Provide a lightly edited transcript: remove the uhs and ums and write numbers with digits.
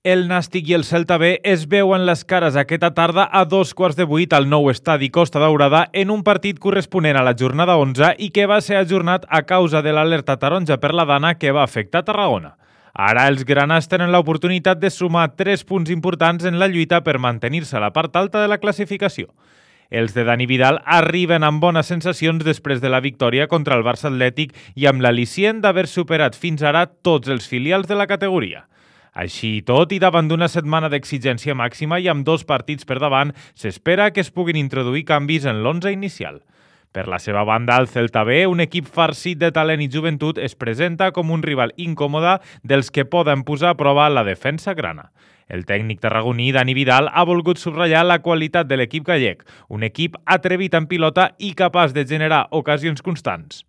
El Nàstic i el Celta B es veuen les cares aquesta tarda a 7:15 al nou estadi Costa Daurada en un partit corresponent a la jornada 11 i que va ser ajornat a causa de l'alerta taronja per la dana que va afectar Tarragona. Ara els granats tenen l'oportunitat de sumar 3 punts importants en la lluita per mantenir-se a la part alta de la classificació. Els de Dani Vidal arriben amb bones sensacions després de la victòria contra el Barça Atlètic i amb l'al·licient d'haver superat fins ara tots els filials de la categoria. Així i tot, i davant d'una setmana d'exigència màxima i amb 2 partits per davant, s'espera que es puguin introduir canvis en l'11 inicial. Per la seva banda, el Celta B, un equip farcit de talent i joventut, es presenta com un rival incòmode dels que poden posar a prova la defensa grana. El tècnic tarragoní, Dani Vidal, ha volgut subratllar la qualitat de l'equip gallec, un equip atrevit en pilota i capaç de generar ocasions constants.